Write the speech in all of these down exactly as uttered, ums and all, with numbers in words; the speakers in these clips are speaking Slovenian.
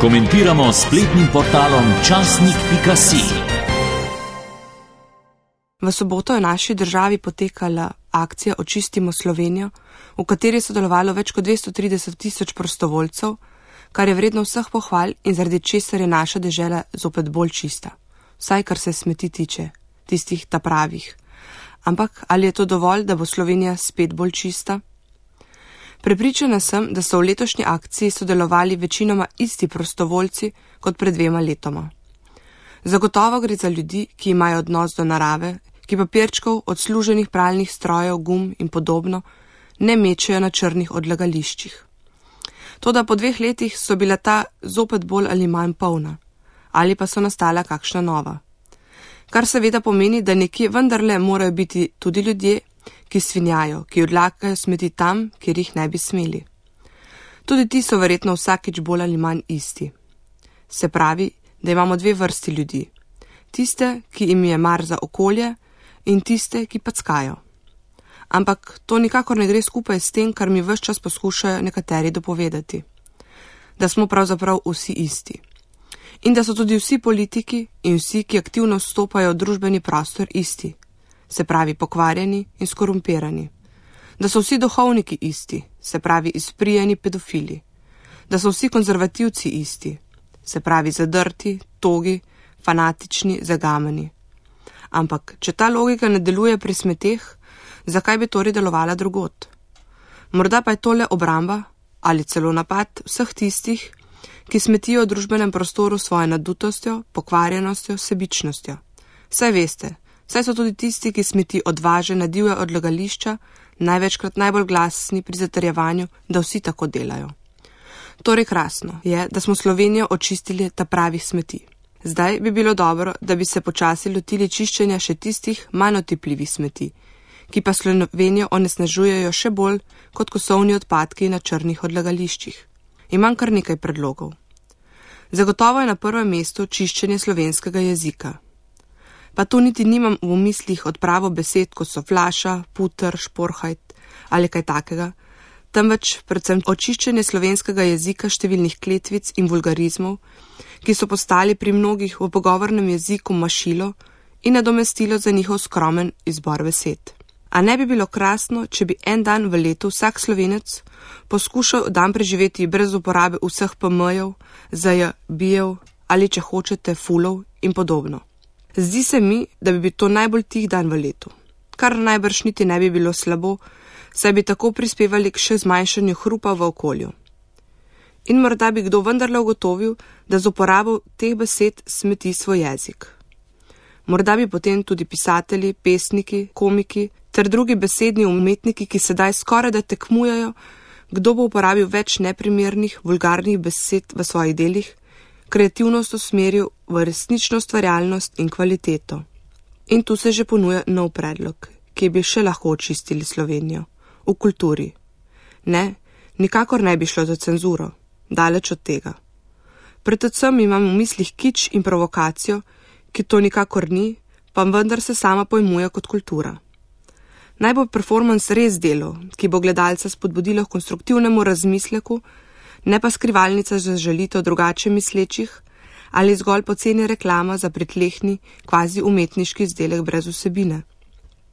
Komentiramo s spletnim portalom časnik pika si. V soboto je v naši državi potekala akcija Očistimo Slovenijo, v kateri je sodelovalo več kot dvesto trideset tisoč prostovoljcev, kar je vredno vseh pohval in zaradi česar je naša dežela zopet bolj čista. Vsaj kar se smeti tiče, tistih ta pravih. Ampak ali je to dovolj, da bo Slovenija spet bolj čista? Prepričana sem, da so v letošnji akciji sodelovali večinoma isti prostovoljci kot pred dvema letoma. Zagotovo gre za ljudi, ki imajo odnos do narave, ki papirčkov, odsluženih pralnih strojev, gum in podobno ne mečejo na črnih odlagališčih. Toda po dveh letih so bila ta zopet bolj ali manj polna, ali pa so nastala kakšna nova. Kar seveda pomeni, da nekje vendarle morajo biti tudi ljudje, ki svinjajo, ki odlagajo smeti tam, kjer jih ne bi smeli. Tudi ti so verjetno vsakič bolj ali manj isti. Se pravi, da imamo dve vrsti ljudi. Tiste, ki jim je mar za okolje, in tiste, ki packajo. Ampak to nikakor ne gre skupaj s tem, kar mi ves čas poskušajo nekateri dopovedati. Da smo pravzaprav vsi isti. In da so tudi vsi politiki in vsi, ki aktivno vstopajo v družbeni prostor, isti. Se pravi pokvarjeni in skorumpirani. Da so vsi duhovniki isti, se pravi izprijeni pedofili. Da so vsi konzervativci isti, se pravi zadrti, togi, fanatični, zagamani. Ampak, če ta logika ne deluje pri smeteh, zakaj bi torej delovala drugod? Morda pa je tole obramba ali celo napad vseh tistih, ki smetijo v družbenem prostoru svojo nadutostjo, pokvarjenostjo, sebičnostjo. Saj veste, saj so tudi tisti, ki smeti odvaže na divja odlagališča, največkrat najbolj glasni pri zatrjevanju, da vsi tako delajo. Torej krasno je, da smo Slovenijo očistili ta pravih smeti. Zdaj bi bilo dobro, da bi se počasi lotili čiščenja še tistih manj otipljivih smeti, ki pa Slovenijo onesnažujejo še bolj kot kosovni odpadki na črnih odlagališčih. Imam kar nekaj predlogov. Zagotovo je na prvem mestu čiščenje slovenskega jezika. Pa tu niti nimam v mislih odpravo besed, kot so flaša, puter, šporhajt ali kaj takega, temveč predvsem očiščenje slovenskega jezika številnih kletvic in vulgarizmov, ki so postali pri mnogih v pogovornem jeziku mašilo in nadomestilo za njihov skromen izbor besed. A ne bi bilo krasno, če bi en dan v letu vsak Slovenec poskušal dan preživeti brez uporabe vseh pe emejev, zaj, bijev ali, če hočete, fulov in podobno. Zdi se mi, da bi bil to najbolj tih dan v letu, kar najbrž niti ne bi bilo slabo, saj bi tako prispevali k še zmanjšanju hrupa v okolju. In morda bi kdo vendarle ugotovil, da z uporabo teh besed smeti svoj jezik. Morda bi potem tudi pisatelji, pesniki, komiki ter drugi besedni umetniki, ki sedaj skoraj da tekmujejo, kdo bo uporabil več neprimernih, vulgarnih besed v svojih delih, kreativnost usmeril v resnično ustvarjalnost in kvaliteto. In tu se že ponuja nov predlog, ki bi še lahko očistili Slovenijo. V kulturi. Ne, nikakor ne bi šlo za cenzuro. Daleč od tega. Predvsem imam v mislih kič in provokacijo, ki to nikakor ni, pa vendar se sama pojmuje kot kultura. Naj bo performans res delo, ki bo gledalca spodbudilo k konstruktivnemu razmisleku, ne pa skrivalnica za žalitev drugače mislečih ali zgolj poceni reklama za pritlehni, kvazi umetniški izdelek brez vsebine.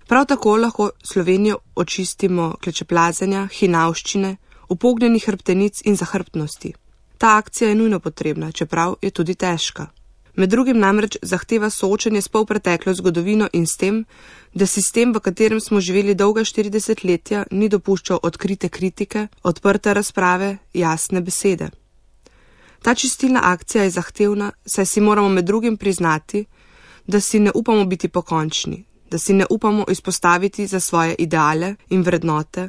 Prav tako lahko Slovenijo očistimo klečeplazenja, hinavščine, upognjenih hrbtenic in zahrbtnosti. Ta akcija je nujno potrebna, čeprav je tudi težka. Med drugim namreč zahteva soočenje s polpreteklo zgodovino in s tem, da sistem, v katerem smo živeli dolga štiri desetletja, ni dopuščal odkrite kritike, odprte razprave, jasne besede. Ta čistilna akcija je zahtevna, saj si moramo med drugim priznati, da si ne upamo biti pokončni, da si ne upamo izpostaviti za svoje ideale in vrednote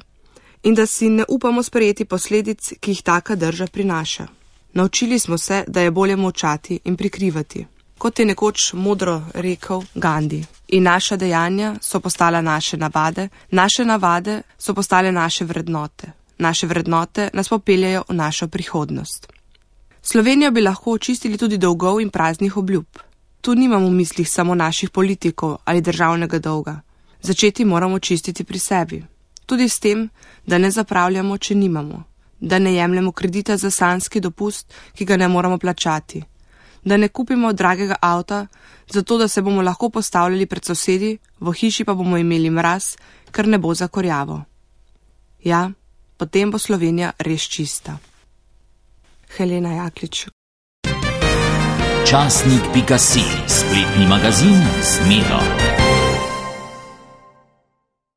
in da si ne upamo sprejeti posledic, ki jih taka drža prinaša. Naučili smo se, da je bolje molčati in prikrivati. Kot je nekoč modro rekel Gandhi. In naša dejanja so postala naše navade, naše navade so postale naše vrednote. Naše vrednote nas popeljajo v našo prihodnost. Slovenijo bi lahko očistili tudi dolgov in praznih obljub. Tu nimamo v mislih samo naših politikov ali državnega dolga. Začeti moramo čistiti pri sebi. Tudi s tem, da ne zapravljamo, če nimamo. Da ne jemljemo kredita za sanjski dopust, ki ga ne moramo plačati. Da ne kupimo dragega avta, zato da se bomo lahko postavljali pred sosedi, v hiši pa bomo imeli mraz, ker ne bo zakorjavo. Ja, potem bo Slovenija res čista. Helena Jaklič. Časnik pika si, spletni magazin z Medo.